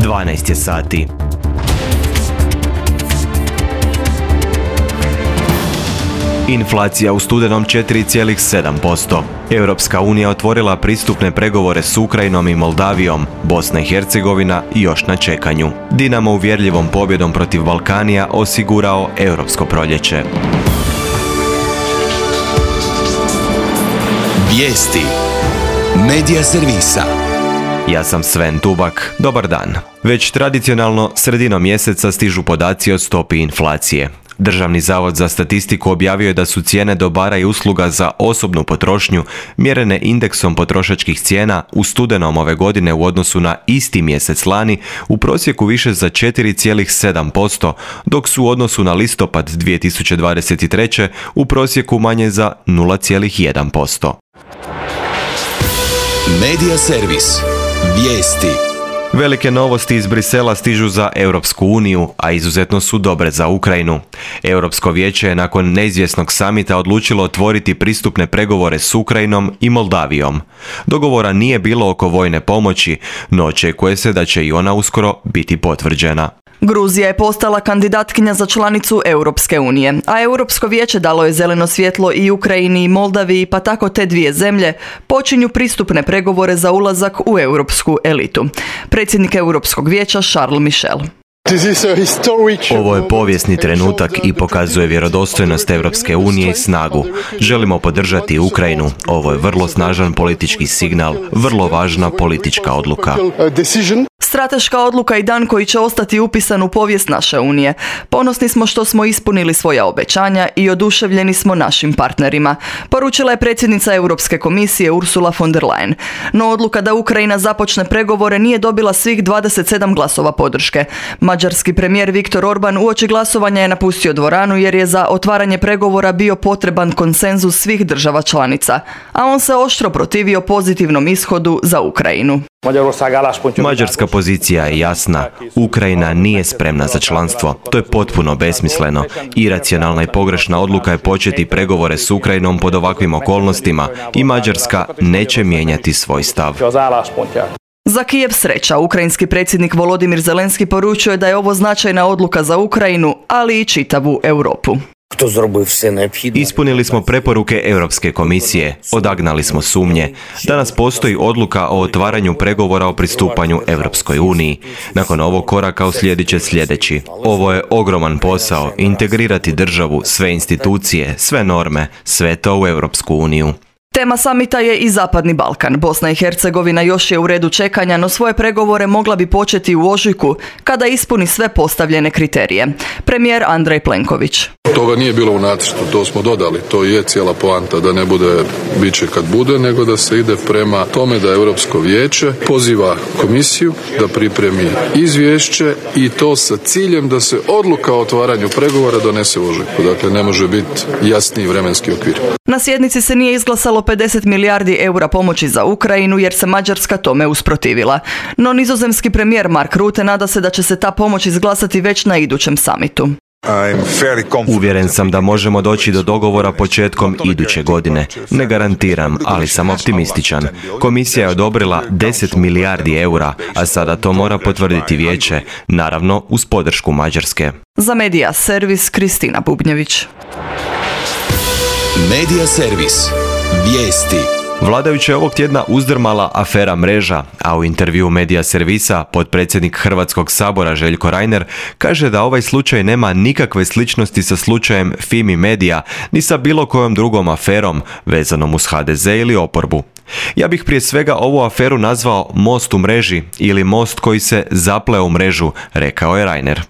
12 je sati. Inflacija u studenom 4,7%. Europska unija otvorila pristupne pregovore s Ukrajinom i Moldavijom, Bosna i Hercegovina još na čekanju. Dinamo uvjerljivom pobjedom protiv Balkanija osigurao europsko proljeće. Vijesti Medija servisa. Ja sam Sven Tubak. Dobar dan. Već tradicionalno sredinom mjeseca stižu podaci o stopi inflacije. Državni zavod za statistiku objavio je da su cijene dobara i usluga za osobnu potrošnju mjerene indeksom potrošačkih cijena u studenom ove godine u odnosu na isti mjesec lani u prosjeku više za 4,7%, dok su u odnosu na listopad 2023. u prosjeku manje za 0,1%. Medija servis. Vijesti. Velike novosti iz Brisela stižu za Europsku uniju, a izuzetno su dobre za Ukrajinu. Europsko vijeće je nakon neizvjesnog samita odlučilo otvoriti pristupne pregovore s Ukrajinom i Moldavijom. Dogovora nije bilo oko vojne pomoći, no očekuje se da će i ona uskoro biti potvrđena. Gruzija je postala kandidatkinja za članicu Europske unije, a Europsko vijeće dalo je zeleno svjetlo i Ukrajini i Moldaviji, pa tako te dvije zemlje počinju pristupne pregovore za ulazak u europsku elitu. Predsjednik Europskog vijeća Charles Michel. Ovo je povijesni trenutak i pokazuje vjerodostojnost Europske unije i snagu. Želimo podržati Ukrajinu. Ovo je vrlo snažan politički signal, vrlo važna politička odluka. Strateška odluka i dan koji će ostati upisan u povijest naše unije. Ponosni smo što smo ispunili svoja obećanja i oduševljeni smo našim partnerima, poručila je predsjednica Europske komisije Ursula von der Leyen. No odluka da Ukrajina započne pregovore nije dobila svih 27 glasova podrške. Mađarski premijer Viktor Orban uoči glasovanja je napustio dvoranu jer je za otvaranje pregovora bio potreban konsenzus svih država članica, a on se oštro protivio pozitivnom ishodu za Ukrajinu. Mađarska pozicija je jasna. Ukrajina nije spremna za članstvo. To je potpuno besmisleno. Iracionalna i pogrešna odluka je početi pregovore s Ukrajinom pod ovakvim okolnostima i Mađarska neće mijenjati svoj stav. Za Kijev sreća, ukrajinski predsjednik Volodimir Zelenski poručuje da je ovo značajna odluka za Ukrajinu, ali i čitavu Europu. Ispunili smo preporuke Europske komisije, odagnali smo sumnje. Danas postoji odluka o otvaranju pregovora o pristupanju Europskoj uniji. Nakon ovog koraka uslijedit će sljedeći. Ovo je ogroman posao, integrirati državu, sve institucije, sve norme, sve to u Europsku uniju. Tema samita je i Zapadni Balkan. Bosna i Hercegovina još je u redu čekanja, no svoje pregovore mogla bi početi u ožujku kada ispuni sve postavljene kriterije. Premijer Andrej Plenković. Toga nije bilo u nacrtu, to smo dodali. To je cijela poanta, da ne bude biće kad bude, nego da se ide prema tome da Europsko vijeće poziva komisiju da pripremi izvješće i to sa ciljem da se odluka o otvaranju pregovora donese u ožujku. Dakle, ne može biti jasniji vremenski okvir. Na sjednici se nije izglasalo 50 milijardi eura pomoći za Ukrajinu jer se Mađarska tome usprotivila. No nizozemski premijer Mark Rutte nada se da će se ta pomoć izglasati već na idućem samitu. Uvjeren sam da možemo doći do dogovora početkom iduće godine. Ne garantiram, ali sam optimističan. Komisija je odobrila 10 milijardi eura, a sada to mora potvrditi vijeće, naravno uz podršku Mađarske. Za Medija servis Kristina Bubnjević. Medija servis. Vijesti. Vladajuće ovog tjedna uzdrmala afera Mreža, a u intervjuu Medija servisa potpredsjednik Hrvatskog sabora Željko Reiner kaže da ovaj slučaj nema nikakve sličnosti sa slučajem Fimi Media ni sa bilo kojom drugom aferom vezanom uz HDZ ili oporbu. Ja bih prije svega ovu aferu nazvao most u mreži ili most koji se zapleo u mrežu, rekao je Reiner.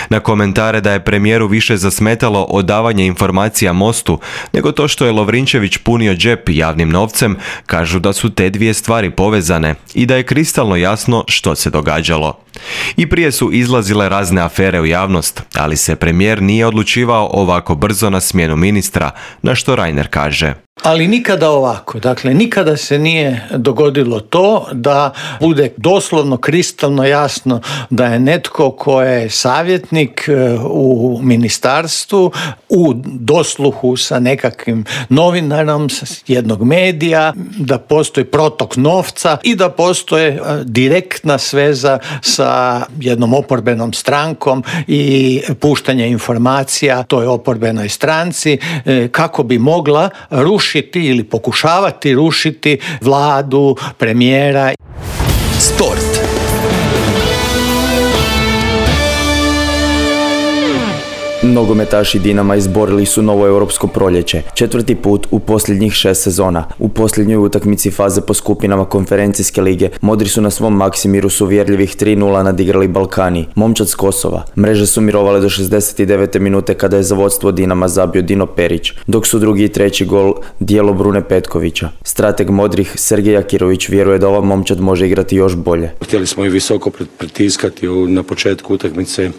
Na komentare da je premijeru više zasmetalo odavanje informacija Mostu nego to što je Lovrinčević punio džep javnim novcem, kažu da su te dvije stvari povezane i da je kristalno jasno što se događalo. I prije su izlazile razne afere u javnost, ali se premijer nije odlučivao ovako brzo na smjenu ministra, na što Reiner kaže. Ali nikada ovako, dakle nikada se nije dogodilo to da bude doslovno kristalno jasno da je netko ko je savjetnik u ministarstvu u dosluhu sa nekakvim novinarom jednog medija, da postoji protok novca i da postoje direktna sveza sa sa jednom oporbenom strankom i puštanje informacija toj oporbenoj stranci kako bi mogla rušiti ili pokušavati rušiti vladu, premijera. Sport. Nogometaši Dinama izborili su novo europsko proljeće, 4. put u posljednjih 6 sezona. U posljednjoj utakmici faze po skupinama konferencijske lige modri su na svom Maksimiru s uvjerljivih 3:0 nadigrali Balkani, momčad s Kosova. Mreže su mirovale do 69. minute kada je za vodstvo Dinama zabio Dino Perić, dok su drugi i treći gol djelo Brune Petkovića. Strateg modrih Sergej Akirović vjeruje da ova momčad može igrati još bolje. Htjeli smo i visoko pritiskati na početku utakmice.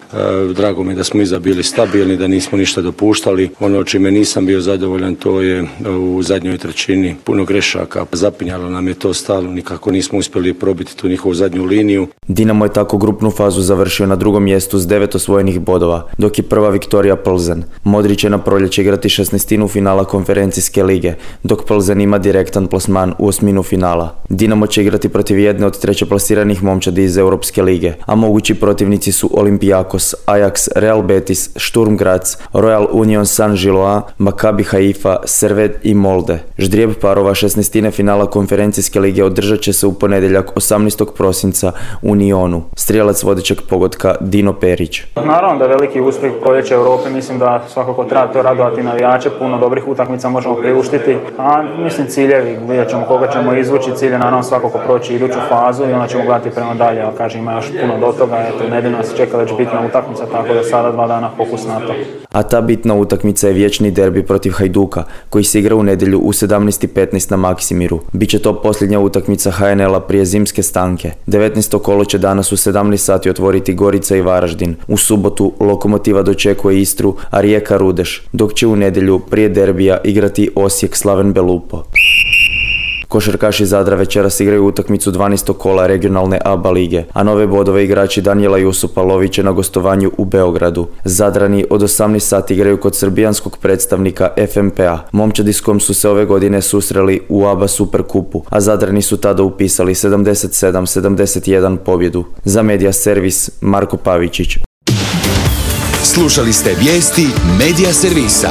Drago mi je da smo bili stabilni, da nismo ništa dopuštali. Ono čime nisam bio zadovoljan, to je u zadnjoj trećini puno grešaka. Zapinjalo nam je to stalno, nikako nismo uspjeli probiti tu njihovu zadnju liniju. Dinamo je tako grupnu fazu završio na drugom mjestu s 9 osvojenih bodova, dok je prva Viktorija Plzen. Modri će na proljeće igrati 16. finala konferencijske lige, dok Plzen ima direktan plasman u 8. finala. Dinamo će igrati protiv jedne od trećeplasiranih momčadi iz Europske lige, a mogući protivnici su Olympiakos, Ajax, Real Betis, Sturm Graz, Royal Union Saint-Gilloise, Maccabi Haifa, Servette i Molde. Ždrijeb parova 16. finala konferencijske lige održat će se u ponedjeljak 18. prosinca u Nionu. Strijelac vodećeg pogotka Dino Perić. Naravno da je veliki uspjeh proljeća Europe, mislim da svakako treba to radovati navijače, puno dobrih utakmica možemo priuštiti, a mislim ciljevi, vidjet ćemo koga ćemo izvući, cilj je naravno svakako proći iduću fazu i onda ćemo gledati prema dalje, ali kažem ima još puno do toga, eto nedjeljno nas čeka već bitna utakmica, tako da sada 2 dana fokus na to. A ta bitna utakmica je vječni derbi protiv Hajduka, koji se igra u nedjelju u 17:15 na Maksimiru. Biće to posljednja utakmica HNL-a prije zimske stanke. 19. kolo će danas u 17 sati otvoriti Gorica i Varaždin. U subotu Lokomotiva dočekuje Istru, a Rijeka Rudeš, dok će u nedjelju prije derbija igrati Osijek Slaven Belupo. Košarkaši Zadra večeras igraju utakmicu 12. kola regionalne ABA lige, a nove bodove igrači Danijela Jusupa lovit će na gostovanju u Beogradu. Zadrani od 18 sati igraju kod srbijanskog predstavnika FMP-a. Momčadi s kojom su se ove godine susreli u ABA Superkupu, a Zadrani su tada upisali 77-71 pobjedu. Za Medija Servis Marko Pavičić. Slušali ste vijesti Medija Servisa.